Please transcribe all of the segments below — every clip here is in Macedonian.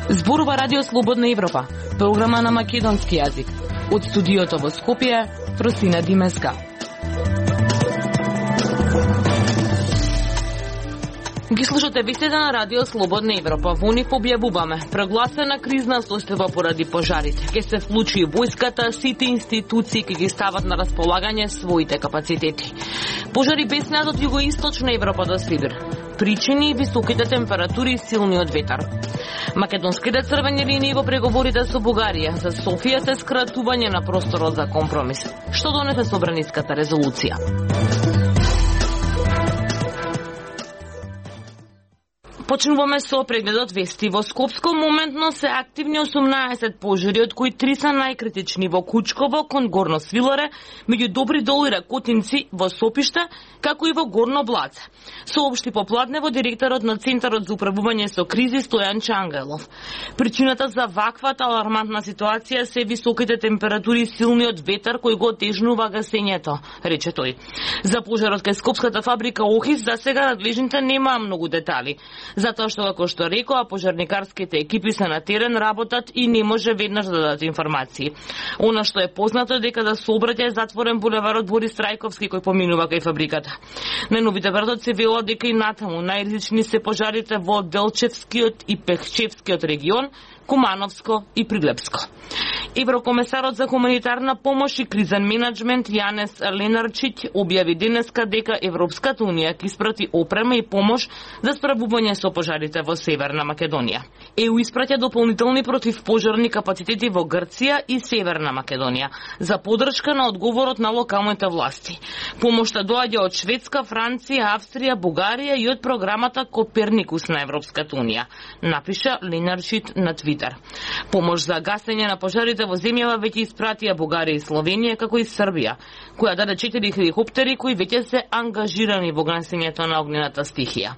Зборува Радио Слободна Европа, програма на македонски јазик. Од студиото во Скопје, Просина Димеска. Ги слушате вестите на Радио Слободна Европа. Во нив објавуваме прогласена кризна состојба поради пожарите. Ке се вклучи војската, сите институции ке ги стават на располагање своите капацитети. Пожари беснеат од југоисточна Европа до Сибир. Причини високите температури и силниот ветар. Македонските црвени линии во преговорите со Бугарија за Софија се скратување на просторот за компромис. Што донесе собраниската резолуција? Почнуваме со прегледот вести. Во Скопско моментно се активни 18 пожари, од кои 3 се најкритични во Кучково, кон Горно Свилоре, меѓу Добри дол и Ракотинци во Сопиште, како и во Горно Блаце. Соопшти попладнево директорот на Центарот за управување со кризи Стојан Чангелов. Причината за ваквата алармантна ситуација се високите температури и силниот ветар кој го отежнува гасењето, рече тој. За пожарот кај Скопската фабрика Охис за сега надлежните немаа многу детали. Затоа што, како што рекоа, пожарникарските екипи се на терен, работат и не може веднаш да дадат информации. Она што е познато е дека за сообраќај е затворен булеварот Борис Трајковски кој поминува кај фабриката. На новите вратоци вело дека и натаму најризични се пожарите во Делчевскиот и Пехчевскиот регион, Кумановско и Прилепско. Еврокомесарот за хуманитарна помош и кризен менеджмент Јанес Ленарчиќ објави денеска дека Европската унија ќе испрати опрема и помош за справување со пожарите во Северна Македонија. ЕУ испраќа дополнителни противпожарни капацитети во Грција и Северна Македонија за поддршка на одговорот на локалните власти. Помошта доаѓа од Шведска, Франција, Австрија, Бугарија и од програмата Коперникус на Европската унија, напиша Ленарчиќ на Твитер. Помош за гасење на пожарите во земјава веќе испратија Бугарија и Словенија, како и Србија, која даде 4 хеликоптери кои веќе се ангажирани во гасењето на огнената стихија.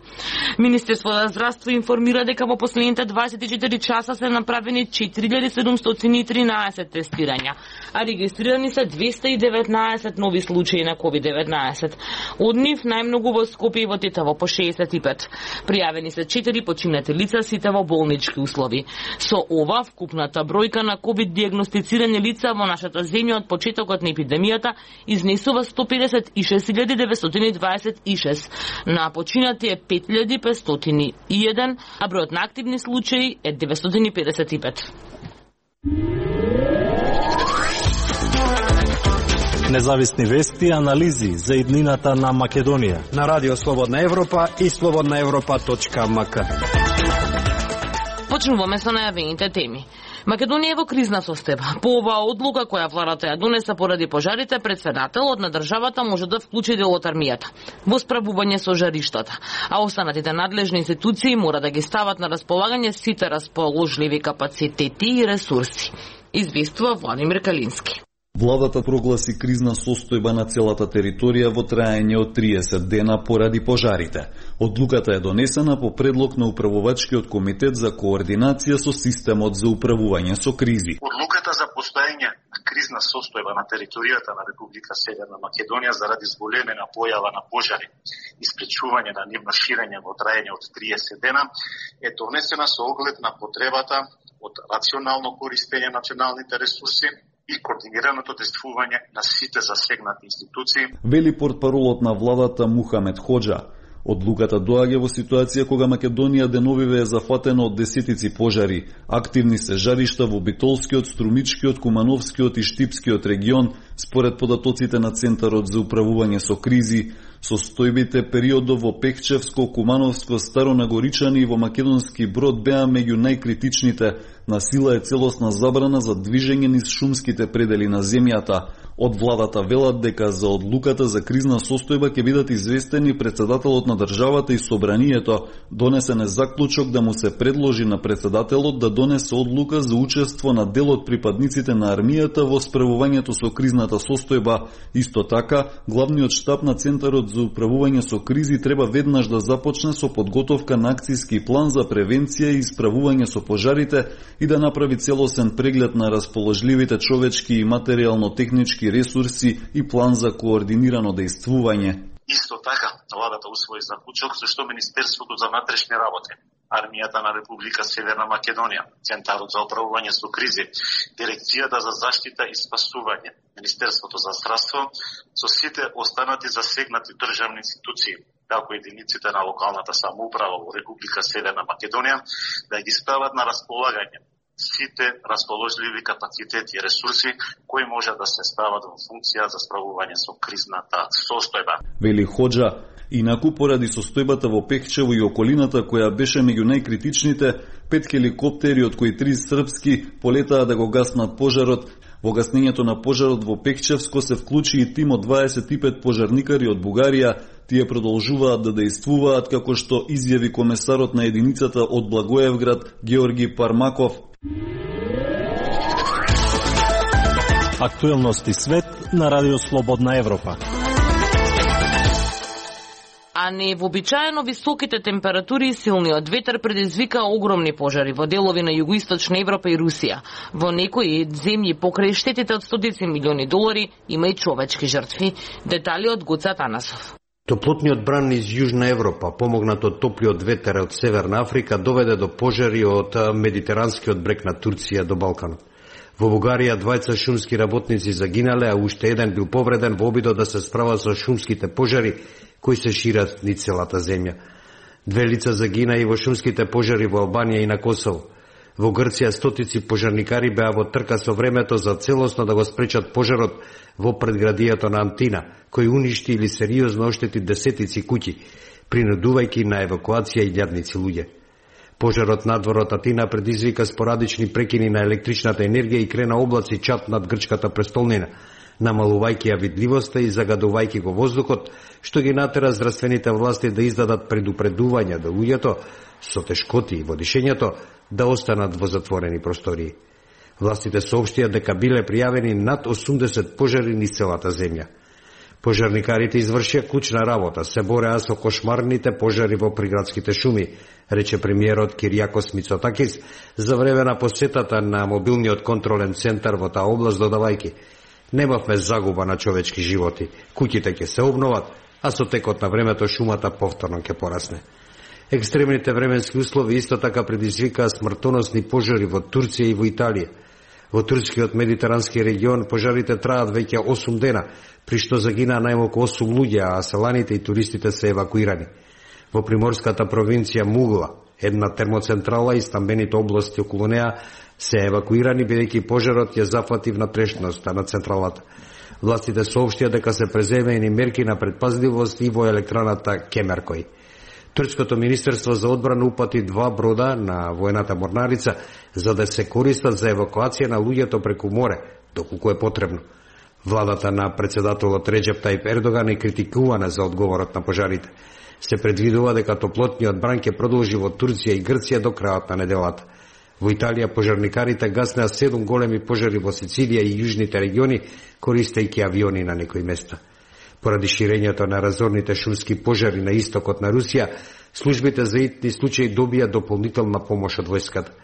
Министерството за здравство информира дека во последните 24 часа се направени 4713 тестирања, а регистрирани се 219 нови случаи на COVID-19. Од нив најмногу во Скопје и во Тетово по 65. Пријавени се 4 починати лица, сите во болнички услови. Со ова, вкупната бројка на COVID-диагностицирани лица во нашата земја од почетокот на епидемијата изнесува 151.926. На починати е 5.501, а бројот на активни случаи е 955. Независни вести и анализи за иднината на Македонија на Радио Слободна Европа и slobodnaevropa.mk. Почнуваме со најавените теми. Македонија е во кризна состојба. По оваа одлука која владата ја донесе поради пожарите, председателот на државата може да вклучи дел од армијата во справување со жариштата, а останатите надлежни институции мора да ги стават на располагање сите расположливи капацитети и ресурси, известува Владимир Калински. Владата прогласи кризна состојба на целата територија во траење од 30 дена поради пожарите. Одлуката е донесена по предлог на Управувачкиот комитет за координација со системот за управување со кризи. Одлуката за постоење на кризна состојба на територијата на Република Северна Македонија заради зголемена појава на пожари и спречување на нивно ширење во траење од 30 дена е донесена со оглед на потребата од рационално користење на националните ресурси и координираното действување на сите засегнати институции, вели портпаролот на владата Мухамед Хоџа. Одлуката доаѓа во ситуација кога Македонија деновиве е зафатена од десетици пожари. Активни се жаришта во Битолскиот, Струмичкиот, Кумановскиот и Штипскиот регион, според податоците на Центарот за управување со кризи. Состојбите периодов во Пехчевско, Кумановско, Старонагоричани и во Македонски Брод беа меѓу најкритичните. На сила е целосна забрана за движење низ шумските предели на земјата. Од владата велат дека за одлуката за кризна состојба ќе бидат известени председателот на државата и собранието. Донесен е заклучок да му се предложи на председателот да донесе одлука за учество на дел од припадниците на армијата во справувањето со кризната состојба. Исто така, главниот штаб на Центарот за управување со кризи треба веднаш да започне со подготовка на акцијски план за превенција и справување со пожарите и да направи целосен преглед на расположливите човечки и материјално-технички човечки ресурси и план за координирано дејствување. Исто така, владата усвои заклучок со што Министерството за внатрешни работи, Армијата на Република Северна Македонија, Центарот за управување со кризи, Дирекцијата за заштита и спасување, Министерството за здравство, со сите останати засегнати државни институции, како единиците на локалната самоуправа во Република Северна Македонија, да ги стават на располагање сите расположливи капацитети и ресурси кои може да се стават во функција за справување со кризната состојба. Вели Хоџа, инаку поради состојбата во Пехчево и околината која беше меѓу најкритичните, 5 хеликоптери од кои 3 српски полетаа да го гаснат пожарот. Во гаснењето на пожарот во Пехчевско се вклучи и тим од 25 пожарникари од Бугарија. Тие продолжуваат да дејствуваат, како што изјави комесарот на единицата од Благоевград Георги Пармаков. Актуелности свет на Радио Слободна Европа. А невообичаено високите температури и силниот ветер предизвика огромни пожари во делови на југоисточна Европа и Русија. Во некои земји покрај штетите од стотици милиони долари има и човечки жртви. Детали од Гоце Атанасов. Топлотниот бран из Јужна Европа, помогнат од топлиот ветер од Северна Африка, доведе до пожари од медитеранскиот брег на Турција до Балканот. Во Бугарија 2 шумски работници загинале, а уште еден бил повреден во обидот да се справа со шумските пожари кои се шират низ целата земја. 2 лица загина и во шумските пожари во Албанија и на Косово. Во Грција стотици пожарникари беа во трка со времето за целосно да го спречат пожарот во предградието на Антина, кој уништи или сериозно оштети десетици куќи, принудувајќи на евакуација илјадници луѓе. Пожарот надвор од Атина предизвика спорадични прекини на електричната енергија и крена облаци чад над грчката престолнина, намалувајќи ја видливоста и загадувајќи го воздухот, што ги натера здравствените власти да издадат предупредувања до луѓето со тешкоти во дишењето да останат во затворени простории. Властите соопштија дека биле пријавени над 80 пожари низ целата земја. Пожарникарите извршија клучна работа, се бореа со кошмарните пожари во приградските шуми, рече премиерот Киријакос Мицотакис за време на посетата на мобилниот контролен центар во таа област, додавајќи: немавме загуба на човечки животи, куќите ќе се обноват, а со текот на времето шумата повторно ќе порасне. Екстремните временски услови исто така предизвикаа смртоносни пожари во Турција и во Италија. Во турскиот медитерански регион пожарите траат веќе 8 дена, при што загинаа најмалку 8 луѓе, а селаните и туристите се евакуирани. Во приморската провинција Мугла, една термоцентрала и стамбените области околу неа се евакуирани, бидејќи пожарот ја зафати внатрешноста на централата. Властите соопштија дека се преземени мерки на предпазливост и во електраната Кемеркој. Турското министерство за одбрана упати 2 брода на воената морнарица за да се користат за евакуација на луѓето преку море, доколку е потребно. Владата на председателот Реџеп Тајип Ердоган е критикувана за одговорот на пожарите. Се предвидува дека топлотниот бран ќе продолжи во Турција и Грција до крајот на неделата. Во Италија пожарникарите гаснеа 7 големи пожари во Сицилија и јужните региони, користејќи авиони на некои места. Поради ширењето на разорните шумски пожари на истокот на Русија, службите за итни случаи добија дополнителна помош од војската.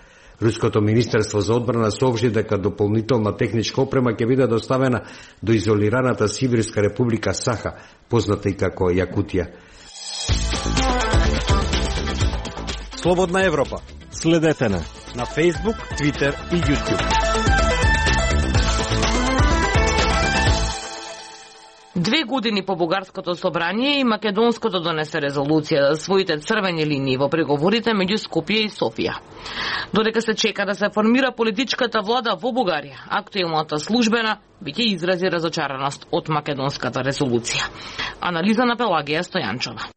Руското министерство за одбрана соопшти дека дополнителна техничка опрема ќе биде доставена до изолираната Сибирска република Саха, позната и како Јакутија. Слободна Европа. Следете на Facebook, Twitter и YouTube. 2 години по Бугарското собрание и Македонското донесе резолуција за своите црвени линии во преговорите меѓу Скопје и Софија. Додека се чека да се формира политичката влада во Бугарија, актуелната службена биќе изрази разочараност од македонската резолуција. Анализа на Пелагија Стојанчова.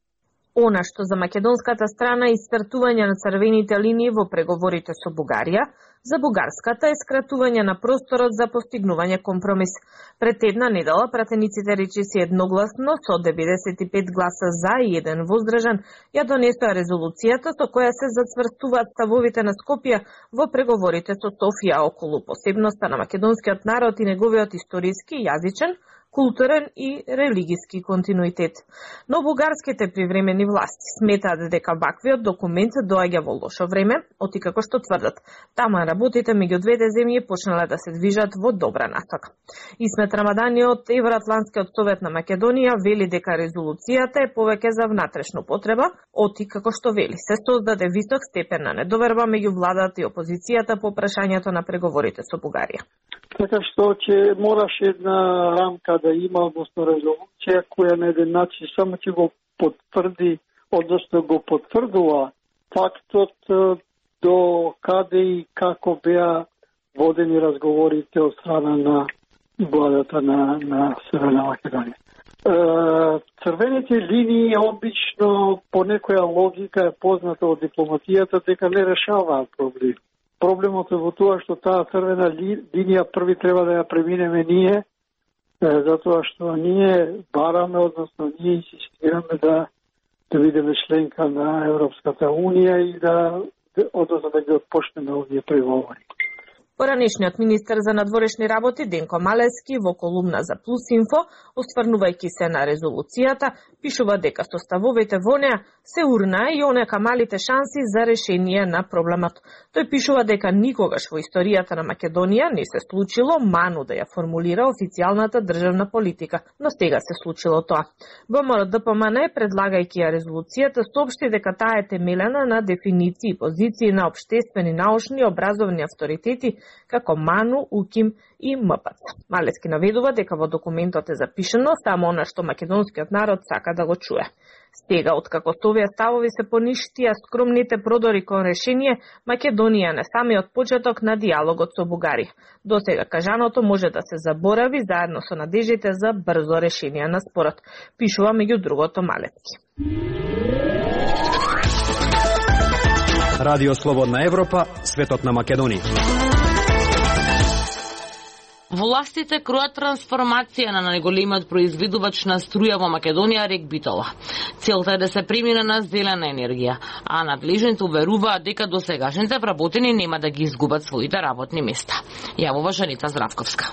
Она што за македонската страна и стартување на црвените линии во преговорите со Бугарија, за бугарската е скратување на просторот за постигнување компромис. Пред една недела пратениците речиси едногласно со 95 гласа за и 1 воздржан ја донесоа резолуцијата со која се зацврстуваат ставовите на Скопје во преговорите со Софија околу посебноста на македонскиот народ и неговиот историски, јазичен, културен и религиски континуитет. Но бугарските привремени власти сметаат дека ваквиот документ доаѓа во лошо време, како што тврдат. Тама работите меѓу двете земји почнале да се движат во добра насока. Исмет Рамадани од Евроатлантскиот совет на Македонија вели дека резолуцијата е повеќе за внатрешна потреба, како што вели се создаде висок степен на недоверба меѓу владата и опозицијата по прашањето на преговорите со Бугарија. Така што ќе мораше една рамка да има, односно резолуција која на еден начин само ќе го потврди, односно го потврдува фактот до каде и како беа водени разговорите од страна на владата на Северна Македонија. Црвените линии обично по некоја логика е позната од дипломатијата дека не решаваат проблем. Проблемот е во тоа што таа црвена линија први треба да ја преминеме ние, затоа што ние бараме, односно ние инсистираме да бидеме членка на Европската Унија и односно да ги отпочнеме овие преговори. Поранешниот министер за надворешни работи Денко Малески во колумна за Плюс Инфо, остварнувајќи се на резолуцијата, пишува дека составовите во неа се урнаа и онека малите шанси за решение на проблемот. Тој пишува дека никогаш во историјата на Македонија не се случило ману да ја формулира официјалната државна политика, но сега се случило тоа. ВМРО-ДПМН, предлагајќи ја резолуцијата, соопшти дека таа е темелена на дефиниции и позиции на општествени, научни и образовни авторитети како МАНУ, УКИМ и МПЦ. Малески наведува дека во документот е запишано само она што македонскиот народ сака да го чуе. Сега, откако со овие ставови се поништија скромните продори кон решение, Македонија не самиот почеток на диалогот со Бугарија. До сега кажаното може да се заборави заедно со надежите за брзо решение на спорот, пишува меѓу другото Малески. Радио Слободна Европа, светот на Македонија. Властите кројат трансформација на најголемиот произведувач на струја во Македонија, РЕК Битола. Целта е да се премине на зелена енергија, а надлежните уверуваат дека досегашните вработени нема да ги изгубат своите работни места. Јавува Жанита Здравковска.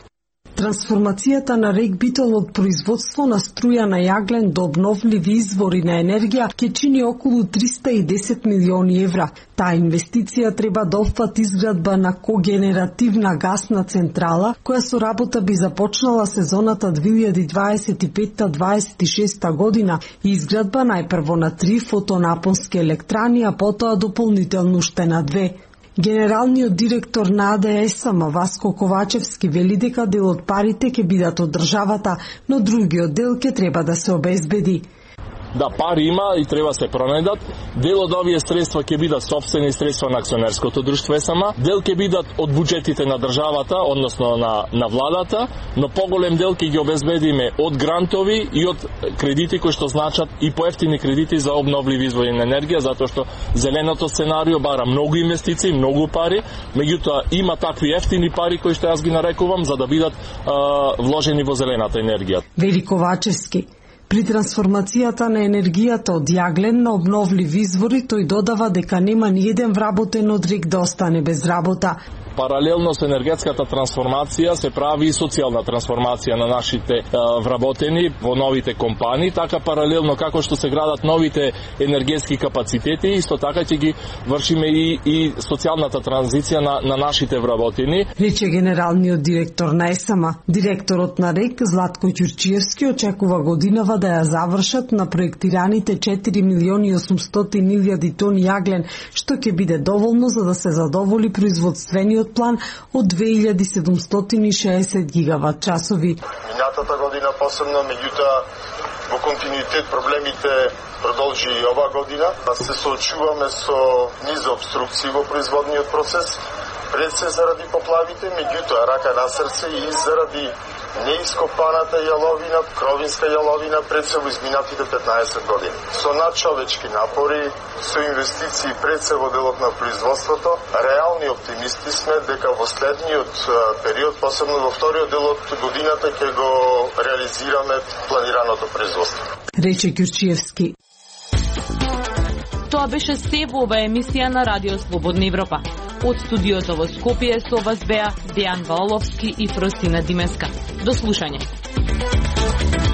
Трансформацијата на РЕК Битол од производство на струја на јаглен до обновливи извори на енергија ќе чини околу 310 милиони евра. Таа инвестиција треба да опфати изградба на когенеративна гасна централа, која со работа би започнала сезоната 2025-26 година и изградба најпрво на 3 фотонапонски електрани, а потоа дополнително уште на 2. Генералниот директор на АДСМ Васко Ковачевски вели дека дел од парите ќе бидат од државата, но другиот дел ќе треба да се обезбеди. Да, пари има и треба се пронајдат. Дел од овие средства ќе бидат сопствени средства на акционерското друштво СМ, дел ќе бидат од буџетите на државата, односно на владата, но поголем дел ќе ги обезбедиме од грантови и од кредити кои што значат и поевтини кредити за обновливи извори на енергија, затоа што зеленото сценарио бара многу инвестиции, многу пари, меѓутоа има такви ефтини пари кои што јас ги нарекувам за да бидат вложени во зелената енергија. Вели Ковачевски. При трансформацијата на енергијата од јаглен на обновливи извори, тој додава дека нема ни еден вработен од РЕК да остане без работа. Паралелно со енергетската трансформација се прави и социјална трансформација на нашите вработени во новите компании, така паралелно како што се градат новите енергетски капацитети, исто така ќе ги вршиме и социјалната транзиција на нашите вработени. Рече генералниот директор на СМ. Директорот на РЕК Златко Ќурчиевски очекува годинава да ја завршат на проектираните 4.800.000 тони јаглен, што ќе биде доволно за да се задоволи производствениот план од 2760 гигават часови. Минатата година посебно, меѓутоа во континуитет проблемите продолжи и ова година. Се соочуваме со низ обструкции во производниот процес, пред се заради поплавите, меѓутоа рака на срце и заради неископаната јаловина, кровинска јаловина пред се во изминатите 15 години. Со надчовечки напори, со инвестиции пред се во делот на производството, реални оптимисти сме дека во следниот период, посебно во вториот дел од годината, ќе го реализираме планираното производство. Рече Ќурчиевски. Тоа беше се во ова емисија на Радио Слободна Европа. Од студиото во Скопје со вас беа Дејан Валовски и Фростина Димеска. До слушање. Италија.